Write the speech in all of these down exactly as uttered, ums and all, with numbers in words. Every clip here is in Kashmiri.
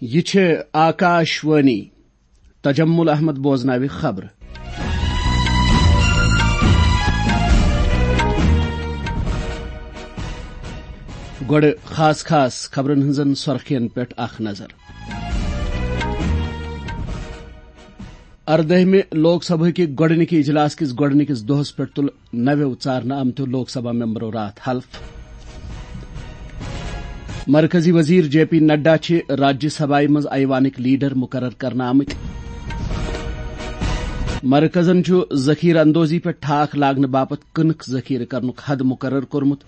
یہِ چھِ آکاش وانی۔ تجمل احمد بوزناوِ خبرٕ۔ گۄڈٕ خاص خاص خبرن ہٕنٛزن سۄرخین پٮ۪ٹھ اکھ نظر۔ اردٲہمہِ لوک سبھا کہِ گۄڈٕنِکہِ اجلاس کِس گۄڈٕنِکِس دۄہس پٮ۪ٹھ تُل نویو ژارنہٕ آمتیو لوک سبھا ممبرو راتھ حلف۔ مرکزی وزیر جے پی نڈا چھِ راجیہ سبھایہ منٛز ایوانٕکۍ لیڈر مقرر کرنہٕ آمٕتۍ۔ مرکزن چھُ ذخیرٕ اندوزی پٮ۪ٹھ ٹھاکھ لاگنہٕ باپتھ کٕنٕک ذخیرٕ کرنُک حد مقرر کوٚرمُت۔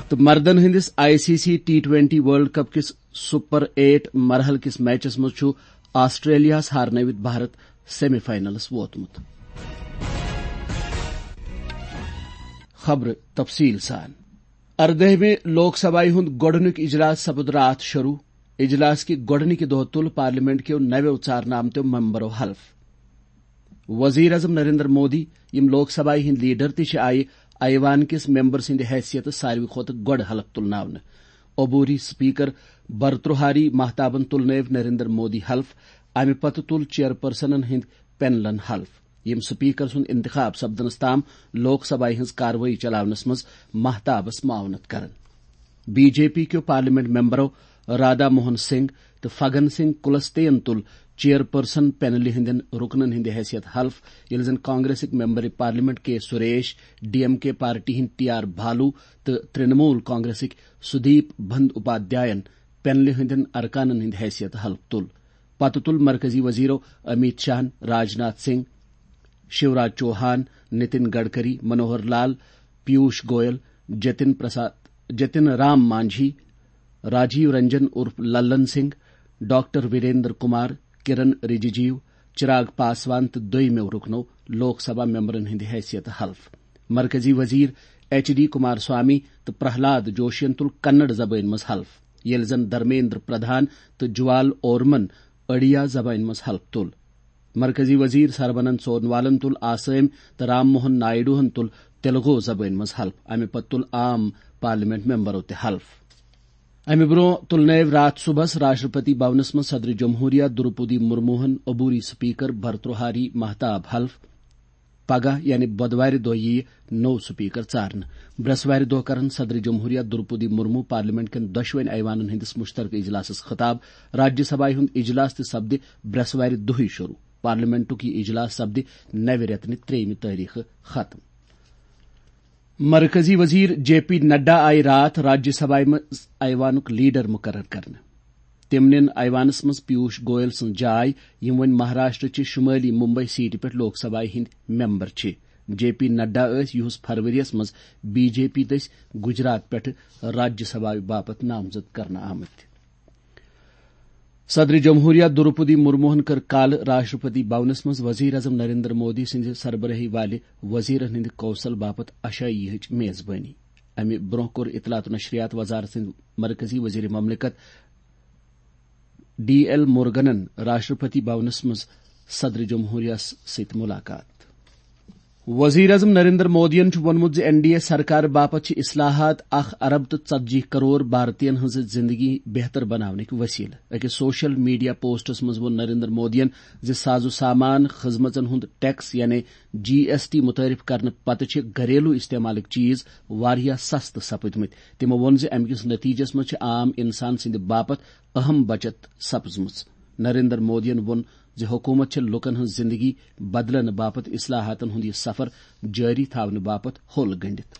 تہٕ مردن ہٕنٛدِس I C C T twenty world cup کِس سپر ایٹ مرحلہٕ کِس میچس منٛز چھُ آسٹریلیاہس ہارنٲوِتھ بھارت سیمی فاینلس ووتمُت۔ خبرٕ تفصیل سان۔ اردٲہمہِ لوک سبھایہِ ہُنٛد گۄڈٕنیُک اجلاس سپُد راتھ شروع۔ اجلاس کہِ گۄڈٕنِکہِ دۄہ تُل پارلیمنٹ کیو نویو ژارنہٕ آمتیو ممبرو حلف۔ وزیر اعظم نریندر مودی، یِم لوک سبھایہِ ہٕنٛدۍ لیڈر تہِ چھِ، آیہِ ایوان کِس ممبر سٕنٛدِ حیثیتہٕ ساروی کھۄتہٕ گۄڈٕ حلف تُلناونہٕ۔ عبوری سپیکر برتروہاری مہتابن تُلنٲوۍ نریندر مودی حلف۔ امہِ پتہٕ تُل چیئرپرسنن ہٕنٛدۍ پینلن حلف، یِم سپیکر سُنٛد انتخاب سپدنس تام لوک سبھایہِ ہٕنٛز کاروٲیی چلاونس منٛز مہتابس معاونت کرن۔ بی جے پی کیو پارلیمنٹ ممبرو رادا موہن سنگھ تہٕ فگن سنگھ کلستین تُل چیئرپرسن پینلہِ ہٕنٛدٮ۪ن رُکنن ہٕنٛدِ حیثیت حلف، ییٚلہِ زن کانگریسٕکۍ ممبر پارلیمنٹ کے سریش، ڈی ایم کے پارٹی ہٕنٛدۍ ٹی آر بھالو تہٕ ترنمول کانگریسٕکۍ سدیپ بند اپادھیاین پینلہِ ہٕنٛدٮ۪ن ارکانن ہٕنٛدِ حیثیت حلف تُل۔ پتہٕ تُل مرکزی وزیرو امیت شاہن، راجناتھ سنگھ، شیوراج چوہان، نتن گڈکری، منوہر لال، پیوش گوئل، جتن پرساد، جتن رام مانجھی، راجیو رنجن عرف للن سنگھ، ڈاکٹر وریندر کمار، کرن رجیجو، چراغ پاسوان تہٕ دویمو رُکنو لوک سبھا ممبرن ہٕنٛدِ حیثیت حلف۔ مرکزی وزیر ایچ ڈی کمار سوامی تہٕ پرہلاد جوشین تُل کنڑ زبٲنۍ منٛز حلف، ییٚلہِ زن دھرمیندر پردھان تہٕ جوال اورمن اڑیا زبٲنۍ منٛز حلف تُل۔ مرکزی وزیر سربانند سونوالن تُل آسٲمۍ تہٕ رام موہن نائیڈوہن تُل تیلگو زبٲنۍ منٛز حلف۔ امہِ پتہٕ تُل عام پارلیمنٹ ممبرو تہِ حلف۔ امہِ برونٛہہ تُلنٲوۍ راتھ صبحس راشٹرپتی بھونس منٛز صدر جمہوریہ دروپدی مرموہن، عبوری سپیکر بھرتروہاری مہتاب حلف۔ پگاہ یعنی بۄدوارِ دۄہ یِیہِ نوٚو سپیکر ژارنہٕ۔ برٛٮ۪سوارِ دۄہ کرن صدر جمہوریہ دروپدی مرمو پارلیمنٹ کٮ۪ن دۄشوٕنۍ ایوانن ہٕنٛدِس مشترکہ اجلاسس خطاب۔ راجیہ سبھایہ ہُنٛد اجلاس تہِ سپدِ برٛٮ۪سوارِ دۄہٕے شروع۔ پارلیمنٹُک یہِ اجلاس سپدِ نوِ رٮ۪تہٕ نہِ ترٛیٚیِمہِ تٲریخہٕ ختم۔ مرکزی وزیر جے پی نڈا آیہِ راتھ راجیہ سبھایہ منٛز ایوانُک لیڈر مقرر کرنہٕ۔ تٔمۍ نِن ایوانس منٛز پیوش گوئل سٕنٛز جاے، یِم وۄنۍ مہاراشٹر چہِ شمٲلی ممبئی سیٹہِ پٮ۪ٹھ لوک سبھایہ ہٕنٛدۍ ممبر چھِ۔ جے پی نڈا ٲسۍ یِہُس فرؤریَس منٛز بی جے پی دٔسۍ گجرات پٮ۪ٹھٕ راجیہ سبھایہ باپتھ نامزد کرنہٕ آمٕتۍ۔ صدر جمہوریہ دروپدی مرموہن کٔر کالہٕ راشٹرپتی بھونس منٛز وزیر اعظم نریندر مودی سٕنٛزِ سربرٲہی والہِ وزیرن ہٕنٛدِ کونسل باپتھ عشائیہ ہٕچ میزبٲنی۔ امہِ برونٛہہ کوٚر اطلاعات و نشریات وزارت سٕنٛدۍ مرکزی وزیر مملکت ڈی ایل مورگنن راشٹرپتی بھونس منٛز صدر جمہوریہ سۭتۍ ملاقات۔ وزیر اعظم نریندر مودیَن چھُ ووٚنمُت زِ این ڈی اے سرکار باپتھ چھِ اصلاحات اکھ ارب تہٕ ژتجی کرور بھارتین ہٕنٛز زندگی بہتر بناونٕکۍ وسیلہٕ۔ أکِس سوشل میڈیا پوسٹس منٛز ووٚن نریندر مودیَن زِ ساز و سامان، خدمژن ہُنٛد ٹیکس یعنی جی ایس ٹی متعارف کرنہٕ پتہٕ چھِ گھریلو استعمالٕکۍ چیز واریاہ سستہٕ سپٕدمٕتۍ۔ تِمو ووٚن زِ امہِ کِس نتیجس منٛز چھِ عام انسان سٕنٛدِ باپتھ اہم بچت سپزمٕژ۔ نریندر مودیَن ووٚن زِ حکوٗمت چھےٚ لوٗکَن ہٕنٛز زِنٛدگی بدلنہٕ باپتھ اصلاحاتَن ہُنٛد یہِ سفر جٲری تھاونہٕ باپتھ ہوٚل گٔنٛڈِتھ۔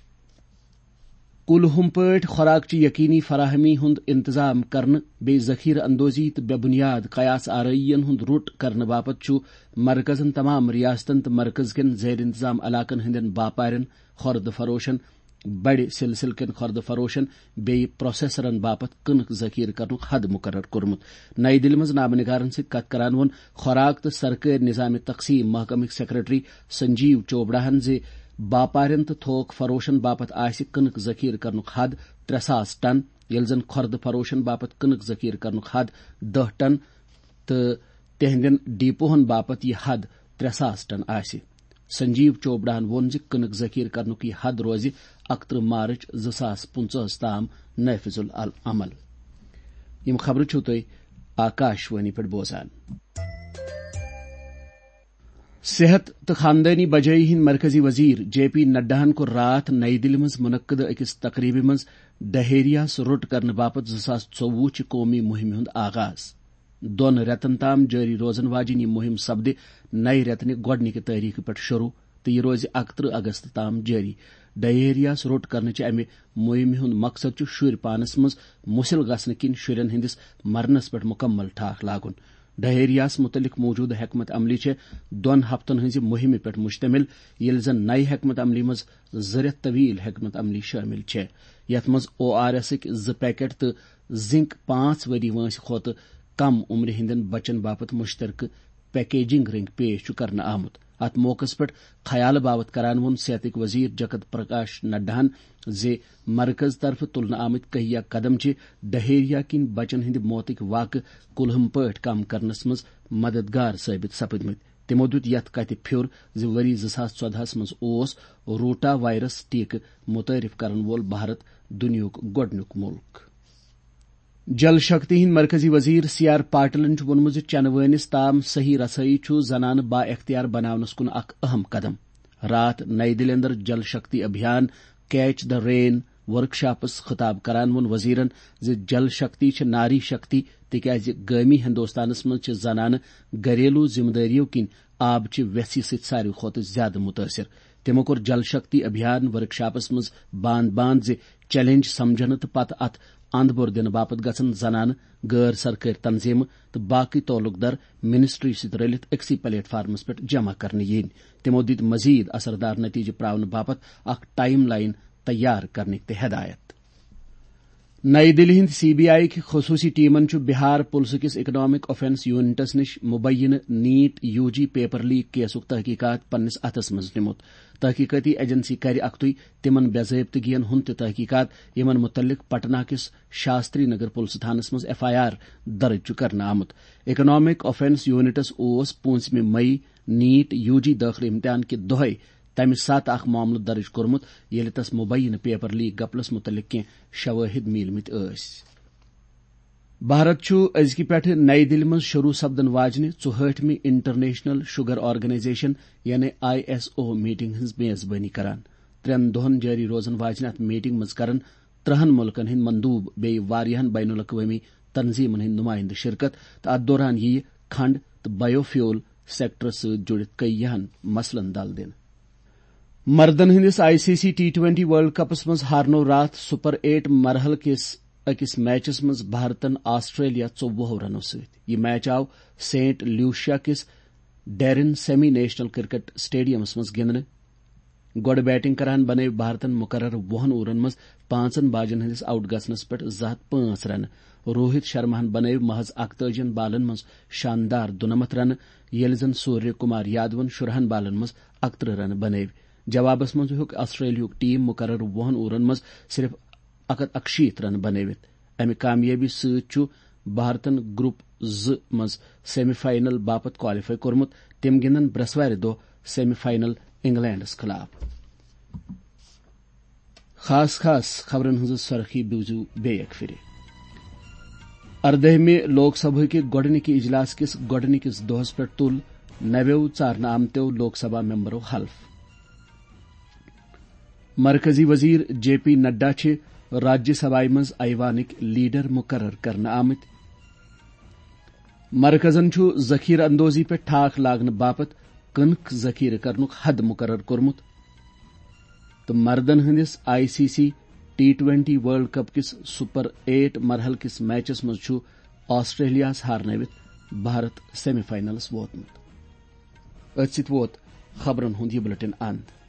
کُلہُم پٲٹھۍ خوراکچہِ یقینی فراہمی ہُنٛد انتظام کرنہٕ، بیٚیہِ ذخیرٕ اندوزی تہٕ بے بنیاد قیاس آرٲییَن ہُنٛد رُٹ کرنہٕ باپتھ چھُ مرکزَن تمام ریاستَن تہٕ مرکز کٮ۪ن زیر انتظام علاقَن ہٕنٛدٮ۪ن باپارٮ۪ن، خۄردٕ فروشَن، بڑِ سلسلہٕ کٮ۪ن خۄردٕ فروشن بیٚیہِ پروسیسرن باپتھ کٕنٕک ذخیرٕ کرنُک حد مقرر کوٚرمُت۔ نَیہِ دِلہِ منٛز نامہٕ نگارن سۭتۍ کتھ کران ووٚن خوراک تہٕ سرکٲرۍ نظام تقسیم محکمٕکۍ سیکرٹری سنجیو چوپڑاہن زِ باپارٮ۪ن تہٕ تھوک فروشن باپتھ آسہِ کٕنٕک ذخیرٕ کرنُک حد ترٛےٚ ساس ٹن، ییٚلہِ زن خۄردٕ فروشن باپتھ کٕنٕک ذخیرٕ کرنُک حد دَہ ٹن تہٕ تِہنٛدٮ۪ن ڈیپوہن باپتھ یہِ حد ترٛےٚ ساس ٹن آسہِ۔ سنجیو چوپڑاہن ووٚن زِ کٕنٕک ذخیرٕ کرنُک یہِ حد روزِ اکترٕہ مارچ زٕ ساس پٕنٛژٕہس تام نافذ العمل۔ یِم خبرٕ چھِو تُہۍ آکاشوانی پٮ۪ٹھ بوزان۔ صحت تہٕ خاندٲنی بجٲیی ہٕنٛدۍ مرکزی وزیر جے پی نڈاہن کوٚر راتھ نَیہِ دِلہِ منٛز منعقدٕ أکِس تقریبہِ منٛز ڈہیریاہس روٚٹ کرنہٕ باپتھ زٕ ساس ژوٚوُہ چہِ قومی مُہِمہِ ہُنٛد آغاز۔ دۄن رٮ۪تن تام جٲری روزن واجیٚنۍ یہِ مُہِم سپدِ نَیہِ رٮ۪تہٕ نہِ گۄڈٕنِکہِ تٲریخہٕ پٮ۪ٹھ شروع تہٕ یہِ روزِ اَکترٕہ اگست تام جٲری۔ ڈہیریاہس روٚٹ کرنہٕ چہِ امہِ مُہِمہِ ہُنٛد مقصد چھُ شُرۍ پانس منٛز مُسِل گژھنہٕ کِنۍ شُرٮ۪ن ہٕنٛدِس مرنس پٮ۪ٹھ مُکمل ٹھاکھ لاگُن۔ ڈہیریاہس مُتعلق موٗجوٗدٕ حکمت عملی چھےٚ دۄن ہفتن ہٕنٛزِ مُہِمہِ پٮ۪ٹھ مُشتمِل، ییٚلہِ زن نَیہِ حکمت عملی منٛز زٕ رٮ۪تھ طویل حکمت عملی شٲمِل چھےٚ، یتھ منٛز او آر ایسٕکۍ زٕ پیکٹ تہٕ زنک پانٛژھ ؤری وٲنٛسہِ کھۄتہٕ کم عمرِ ہٕنٛدٮ۪ن بچن باپتھ مُشترکہٕ پیکیجنگ رنگ پیش چھُ کرنہٕ آمُت۔ اتھ موقعس پٮ۪ٹھ خیالہٕ باوتھ کران ووٚن صحتٕکۍ وزیر جگت پرکاش نڈاہن زِ مرکز طرفہٕ تُلنہٕ آمٕتۍ کہیا قدم چھِ ڈہیریا کِنۍ بچن ہٕنٛدِ موتٕکۍ واقعہٕ کُلہم پٲٹھۍ کم کرنس منٛز مددگار ثٲبت سپٕدمٕتۍ۔ تِمو دیُت یتھ کتھِ پھیُر زِ ؤری زٕ ساس ژۄدہَس منٛز اوس روٹا وائرس ٹیکہٕ متعارف کرن وول بھارت دُنیاہُک گۄڈٕنیُک مُلک۔ جل شکتی ہٕنٛدۍ مرکزی وزیر سی آر پاٹلن چھُ ووٚنمُت زِ چنہٕ وٲنِس تام صحیح رسٲیی چھُ زنانہٕ با اختیار بناونس کُن اکھ اہم قدم۔ راتھ نئی دِلہِ اندر Jal Shakti Abhiyan catch the rain workshops خطاب کران ووٚن وزیرن زِ جل شکتی چھِ ناری شکتی، تِکیازِ گٲمی ہندوستانس منٛز چھِ زنانہٕ گھریلو ذمہ دٲریو کِنۍ آبہٕ چہِ ویژھِ سۭتۍ ساروی کھۄتہٕ زیادٕ مُتٲثِر۔ تِمو کوٚر جل شکتی ابھیان ورکشاپس منٛز باند باند زِ چیلنج سمجھنہٕ تہٕ پتہٕ اتھ اند بور دِنہٕ باپتھ گژھن زنانہٕ، غٲر سرکٲرۍ تنظیمہٕ تہٕ باقٕے تعلق دار منسٹری سۭتۍ رٔلِتھ أکسٕے پلیٹ فارمس پٮ۪ٹھ جمع کرنہٕ یِنۍ۔ تِمو دِتۍ مزید اثردار نتیجہٕ پراونہٕ باپتھ اکھ ٹائم لائن تیار کرنٕکۍ تہِ ہدایت۔ نئی دِلہِ ہٕنٛدِ سی بی آئی کہِ خصوٗصی ٹیمن چھُ بہار پُلسہٕ کِس اکنامک آفینس یونٹس نِش مبینہٕ نیٹ یو جی پیپر لیک کیسُک تحقیقات پننِس اتھس منٛز نِمُت۔ تحقیقاتی ایجنسی کرِ اکھتُے تِمن بے ضٲبطگین ہُنٛد تہِ تحقیقات، یِمن مُتعلق پٹنہ کِس شاستری نگر پُلسہٕ تھانس منٛز ایف آئی آر درٕج چھُ کرنہٕ آمُت۔ اکنامک آفینس یونٹس اوس پوٗنٛژمہِ مئی نیٹ یو جی دٲخلہٕ امتحان کہِ دۄہے تَمہِ ساتہٕ اکھ معاملہٕ درٕج کوٚرمُت، ییٚلہِ تَس مُبینہٕ پیپر لیک گپلس مُتعلق کینٛہہ شوٲہِد میٖلمٕتۍ ٲسۍ۔ بھارت چھُ أزکہِ پٮ۪ٹھٕ نَیہِ دِلہِ منٛز شروٗع سپدن واجنہِ ژُہٲٹھمہِ انٹرنیشنل شوگر آرگنائزیشن یعنی آئی ایس او میٹنگ ہٕنٛز میزبٲنی کران۔ ترٛٮ۪ن دۄہن جٲری روزن واجنہِ اتھ میٹنگ منٛز کرن ترٛہن مُلکن ہٕنٛدۍ مندوٗب بیٚیہِ واریاہن بین الاقوٲمی تنظیمن ہٕنٛدۍ نُمٲیندٕ شرکت تہٕ اتھ دوران یِیہِ کھنڈ تہٕ بائیو فیول سیکٹرس سۭتۍ جُڑِتھ کئی یِہن مسلن دل دِنہٕ۔ مردن ہٕنٛدِس I C C T twenty world کپس منٛز ہارنوو راتھ سپر ایٹ مرحلہٕ کِس أکِس میچس منٛز بھارتن آسٹریلیا ژوٚوُہو رنو سۭتۍ۔ یہِ میچ آو سینٹ لوشیا کِس Darren semi national cricket stadiums منٛز گِنٛدنہٕ۔ گۄڈٕ بیٹنگ کران بنٲوۍ بھارتن مقرر وُہن اوورن منٛز پانٛژن باجن ہٕنٛدِس آؤٹ گژھنس پٮ۪ٹھ زٕ ہتھ پانٛژھ رنہٕ۔ روہت شرماہن بنٲوۍ محض اکتٲجی بالن منٛز شاندار دُنمتھ رنہٕ، ییٚلہِ زن سوریہ کمار یادون شُرہن بالن منٛز اکترٕہ رنہٕ بنٲوۍ۔ جوابس منٛز ہیوٚک آسٹریلیاہُک ٹیم مقرر وُہن اوورن منٛز صرف اکھ ہتھ اکشیٖتھ رنہٕ بنٲوِتھ۔ امہِ کامیٲبی سۭتۍ چھُ بھارتن گروپ زٕ منٛز سیمی فائنل باپتھ کوالیفائی کوٚرمُت۔ تِم گِنٛدن برٛٮ۪سوارِ دۄہ سیمی فائنل انگلینڈس خلاف۔ خاص خاص خبرن ہٕنٛز سرخی بوزِو بیٚیہِ اکہِ پھِرِ۔ اردٲہمہِ لوک سبھا کہِ گۄڈٕنِکہِ اجلاس کِس گۄڈٕنِکِس دۄہس پٮ۪ٹھ تُل نویو ژارنہٕ آمتیو لوک سبھا ممبرو حلف۔ مرکزی وزیر جے پی نڈا چھِ راجیہ سبھایہ منٛز ایوانٕکۍ لیڈر مقرر کرنہٕ آمٕتۍ۔ مرکزن چھُ ذخیرٕ اندوزی پٮ۪ٹھ ٹھاکھ لاگنہٕ باپتھ کٕنک ذخیرٕ کرنُک حد مقرر کوٚرمُت۔ تہٕ مردن ہٕنٛدِس I C C T twenty world cup کِس سپر ایٹ مرحلہٕ کِس میچس منٛز چھُ آسٹریلیاہس ہارنٲوِتھ بھارت سیمی فائنلس ووتمُت۔ أتھۍ سۭتۍ ووت خبرن ہُنٛد یہِ بلیٹن اند۔